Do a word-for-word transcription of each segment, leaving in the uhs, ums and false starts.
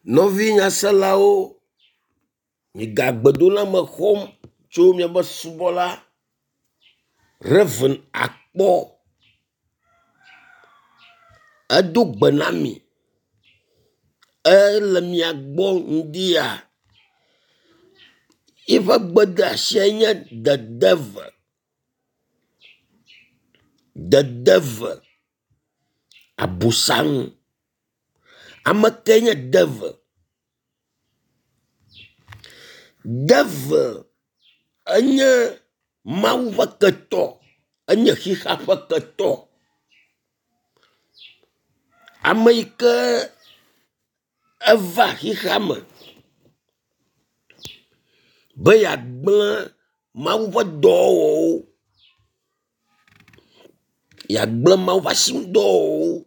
Nɔvi nyaselawo, miga gbedoname xɔm tso miaƒe subɔla Rev. Akpɔ. Edo gbe na mi. Ele mia gbɔ ŋdi ya. Yiƒe gbedeasie nye the devil. The devil, abosam. Ame kae nye devil? Devil enye Mawu ƒe ketɔ. Enye xixea ƒe ketɔ. Ame yi ke eva xixea me be yeagble Mawu ƒe dɔwɔwɔwo. Yeagble Mawu ƒe asinudɔwɔwɔwo.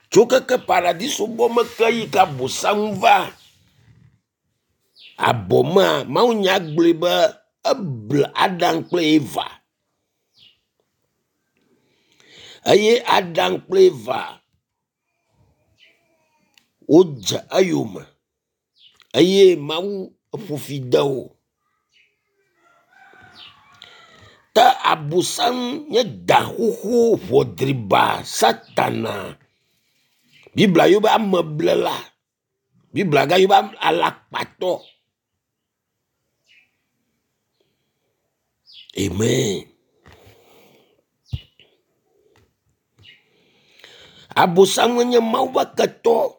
Tso keke paradiso bɔ me ke yi ke abosam va abɔ mea, mawunya gblɔe be eble Adam kple Eva eye Adam kple Eva wodze eyome eye Mawu ƒo fi de wo. Ke abosam nye da xoxo ʋɔ driba satana. Biblia yɔ be ameblela. Biblia gayɔ be alakpatɔ. Amen. Abosam nye Mawu ƒe ketɔ.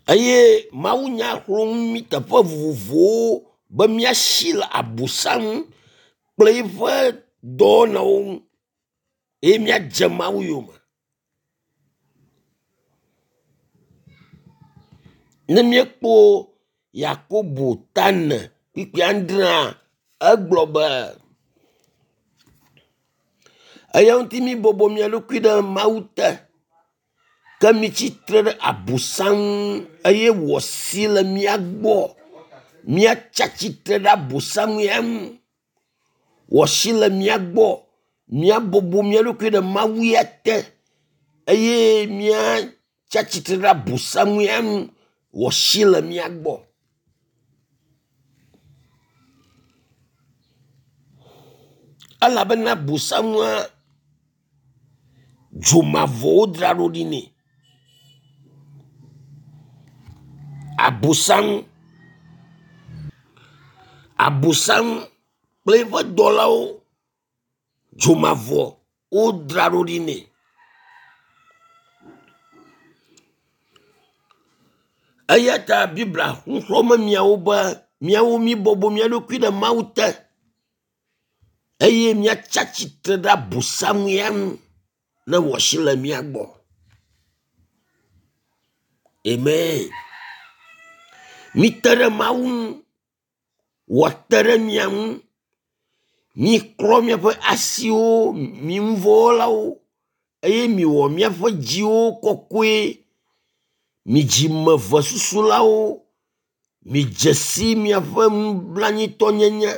Eye mawunya xlɔ̃ nu mí teƒe vovovowo be míasi le abosam kple eƒe dɔwɔnawo ŋu eye míadze Mawu yome. Ne míekpɔ Yakobo ta ene kpukpui adrea, egblɔ be eya ŋuti mibɔbɔ mia ɖokui ɖe Mawu te ke mitsi tre ɖe abosam ŋu eye wòasi le mía gbɔ. Míatsi atsitre ɖe abosam ya ŋu. Wòasi le mía gbɔ. Míabɔbɔ mía ɖokui ɖe Mawu ya te eye míatsi atsitre ɖe abosam ya ŋu. Wòasi le mía gbɔ. Elabena abosamua dzomavɔ wodzra ɖo ɖi nɛ. Abosam abosam kple eƒe dɔlawo dzomavɔ wodzra ɖo ɖi nɛ. Eya ta Biblia nuxlɔ̃me miawo be miawo mibɔbɔ mia ɖokui ɖe Mawu te eye míatsi atsitre ɖe abosam ya ŋu ne wòasi le mía gbɔ. Amen. Mite ɖe Mawu ŋu, wòate ɖe mia ŋu. Miklɔ miaƒe asiwo, mi nuvɔ̃wɔlawo eye miwɔ miaƒe dziwo kɔkɔe. Mi dzimevesusulawo, midze si miaƒe nublanuitɔnyenye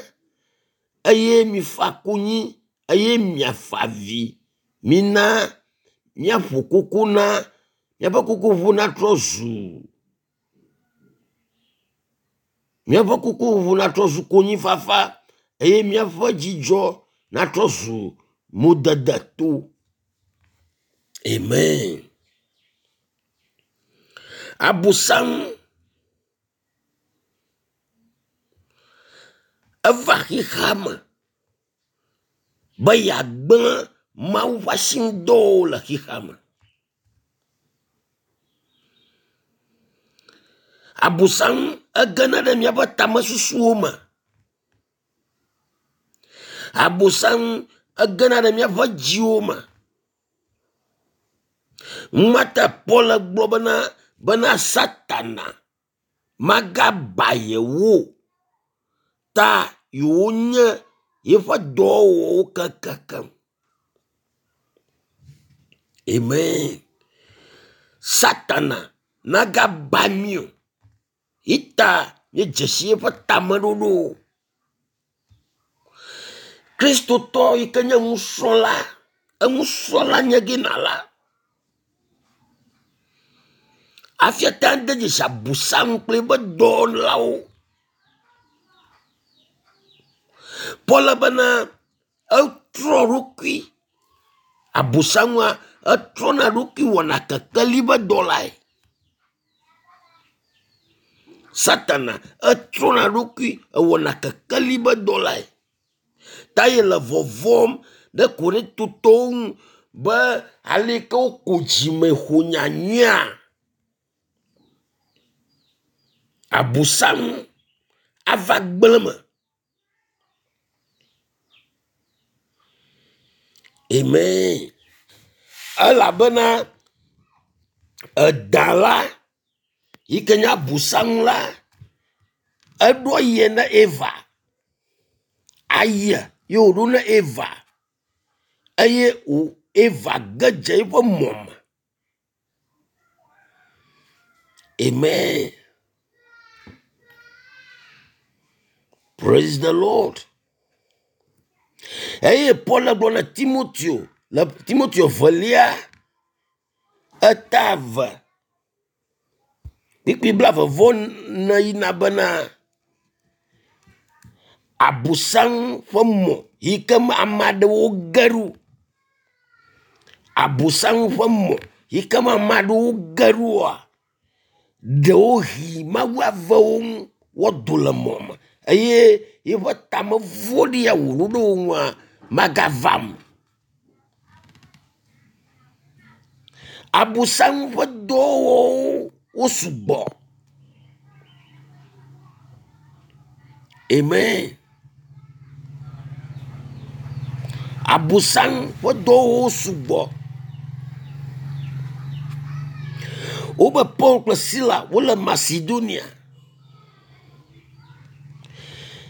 eye mifa konyi eye miafa avi. Mina míaƒo koko na míaƒe kokoƒoƒo natrɔ zu míaƒe kokoƒoƒo natrɔ zu konyifafa eye míaƒe dzidzɔ natrɔ zu modedeto. Amen. Abosam eva xixea me be yeagblẽ Mawu ƒe asinudɔwo le xixea me. Abosam egena ɖe míaƒe tamesusuwo me. Abosam egena ɖe míaƒe dziwo me. Numata Paul gblɔ bena bena Satana magaba yewo o ta yewonye yeƒe dɔwɔwɔwo kekeake. Amen. Satana nagaba mí o. Ita míedze si eƒe tameɖoɖo. Kristotɔ yi ke nye nusrɔ̃la, enusrɔ̃la nye ge nala. Hafi ate ade dzesi abosam kple eƒe dɔwɔlawo. Paul bena etrɔ ɖokui abosamua etrɔna ɖokui wɔna kekeli ƒe dɔlae. Satana etrɔna ɖokui ewɔna kekeli ƒe dɔlae. Ta ye le vɔvɔm ɖe Korintotɔwo ŋu be ale yi ke woko dzime xɔ nyanyuia, abosam ava gblẽ me. Amen. Elabena eda la yi ke nye abosam la, eɖo aye na Eva. Aye ye wòɖo na Eva eye wò Eva ge dze eƒe mɔ me. Amen. Praise the Lord. Eye Paul gblɔ na Timoteo le Timoteo velia eta eve kpukpui blaeve vɔ ene yina bena abosam ƒe mɔ yi ke me ame aɖewo ge ɖo. Abosam ƒe mɔ yi ke me ame aɖewo ge ɖoa, ɖewohĩ Mawu ave wo ŋu woado le mɔ me eye yeƒe tame vɔ̃ɖi ya wòɖo ɖe wo ŋua magava eme o. Abosam ƒe dɔwɔwɔwo wo sugbɔ. Amen. Abosam ƒe dɔwɔwɔwo sugbɔ. Wobe Paul kple Sila wole Macedonia.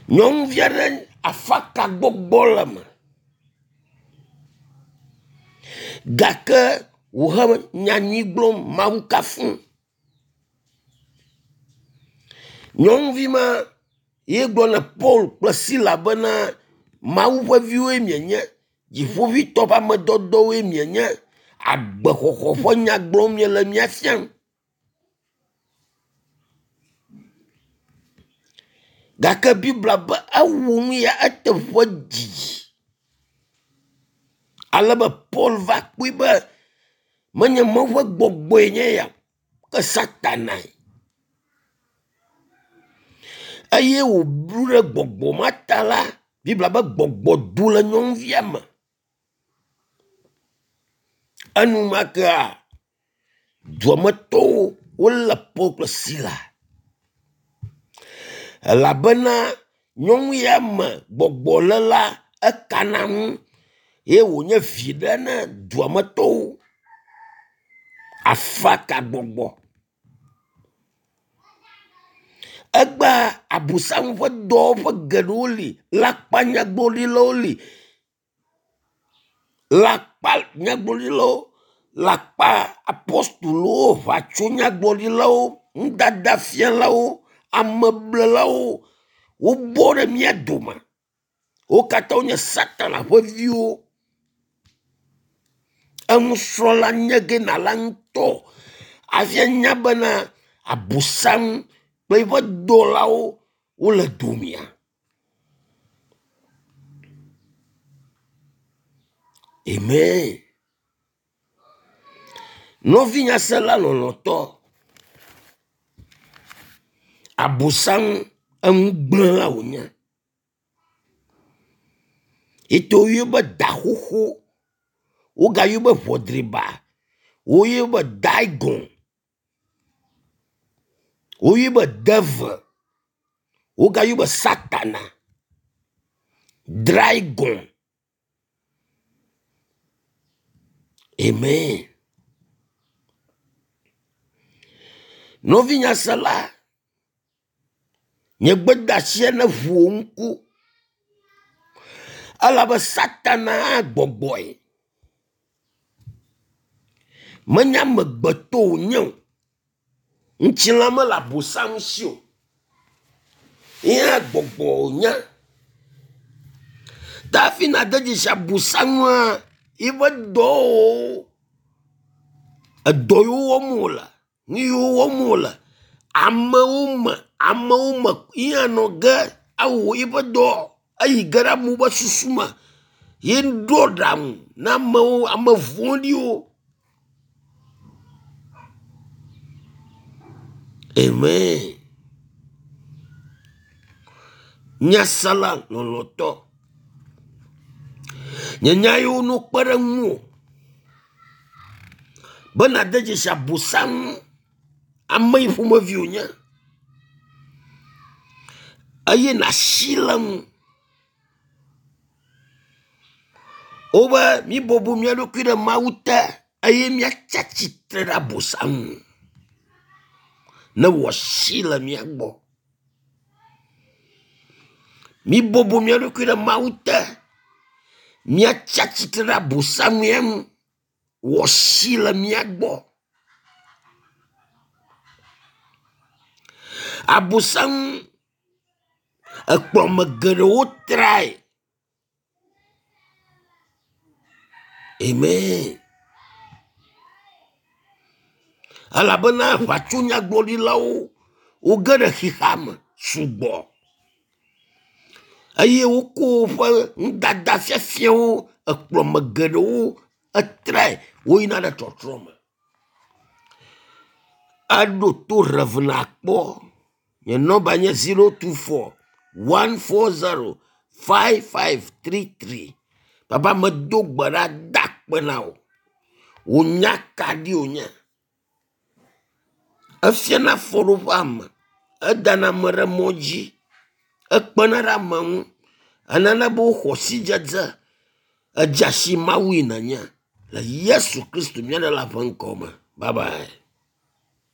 Nyɔnuvi aɖe afaka gbɔgbɔ le eme gake wòhe nyanyui gblɔm Mawu kafum. Nyɔnuvi ma ye gblɔ na Paul kple Sila bena Mawu ƒe viwoe mienye, dziƒoʋĩtɔ ƒe ame dɔdɔwoe mienye, agbexɔxɔ ƒe nya gblɔm miele mía fiam. Gake Biblia be ewu nu ya eteƒe didi ale be Paul va kpɔe be menye Mawu ƒe gbɔgbɔe nye ya o, ke Satanae. Eye wòblu ɖe gbɔgbɔ ma ta la, Biblia be gbɔgbɔ do le nyɔnuvia me. Enumakea duametɔwo wolé Paul kple Sila elabena nyɔnu ya me gbɔgbɔ le la ekana nu ye wònye viɖe na duametɔwo. Afakagbɔgbɔ. Egbea abosam ƒe dɔwɔƒe geɖewo li, lãkpanyagblɔɖilawo li, lãkpanyagblɔɖilawo, lãkpa apɔstolowo, ʋatsonyagblɔɖilawo, nudadafialawo, ameblelawo wobɔ ɖe mía dome. Wo katã wonye Satana ƒe viwo. Enusrɔ̃la nye ge nala ŋutɔ hafi anya bena abosam kple eƒe dɔlawo wole domea. Amen. Nɔvinyasela lɔlɔ̃tɔ, abosam enugblẽla wònye. Yi ke woyɔe be da xoxo, wogayɔe be ʋɔdriba, woyɔe be dagon, woyɔe be devil, wogayɔe be satana, dragon. Amen. Nɔvinyasela, nye gbedeasia ne ʋu wò ŋku elabe Satana hã gbɔgbɔe. Menye amegbetɔ wònye o. Ŋutilã mele abosam si o. Ye hã gbɔgbɔ wònye. Tafi na de dzesi abusaŋua yiƒe dɔwɔwɔwo edɔ yiwo wɔm wòle, nu yiwo wɔm wòle, amewo me amewo me ya nɔ ge awɔ yiƒe dɔ eyi ge ɖe amewo ƒe susu me ye ɖo aɖaŋu na amewo ame vɔ̃ɖiwo. Amen. Nyasela lɔlɔ̃tɔ. Nye nya yiwo no kpe ɖe ŋuwò be nàde dzesi abosam ame yi ƒomevi wònye eye nàsi le ŋu. Wobe míbɔbɔ mía ɖokui ɖe Mawu te eye míatsi atsitre ɖe abosam ŋu ne wòasi le mía gbɔ. Míbɔbɔ mía ɖokui ɖe Mawu te míatsi atsitre ɖe abosam ya ŋu wòasi le mía gbɔ. Abosam ekplɔ ame geɖewo trae. Amen. Elabena aʋatsonyagblɔɖilawo woge ɖe xexea me sugbɔ eye woko woƒe nudada fiafiawo ekplɔ ame geɖewo etrae woyina ɖe trɔtrɔ me. Eɖo to Rev akpɔ. Nye nɔmba nye zero two four one four zero five five three three. Papa medo gbe ɖa da akpe na wò. Wò nya kaɖi wònye. Efiana afɔɖoƒe ame. Edana ame ɖe mɔ dzi. Ekpena ɖe ame ŋu. Enana be woxɔ sidzedze. Edze si Mawu yi nènye le Yesu Kristo mía Ɖela ƒe ŋkɔ me. Bye bye.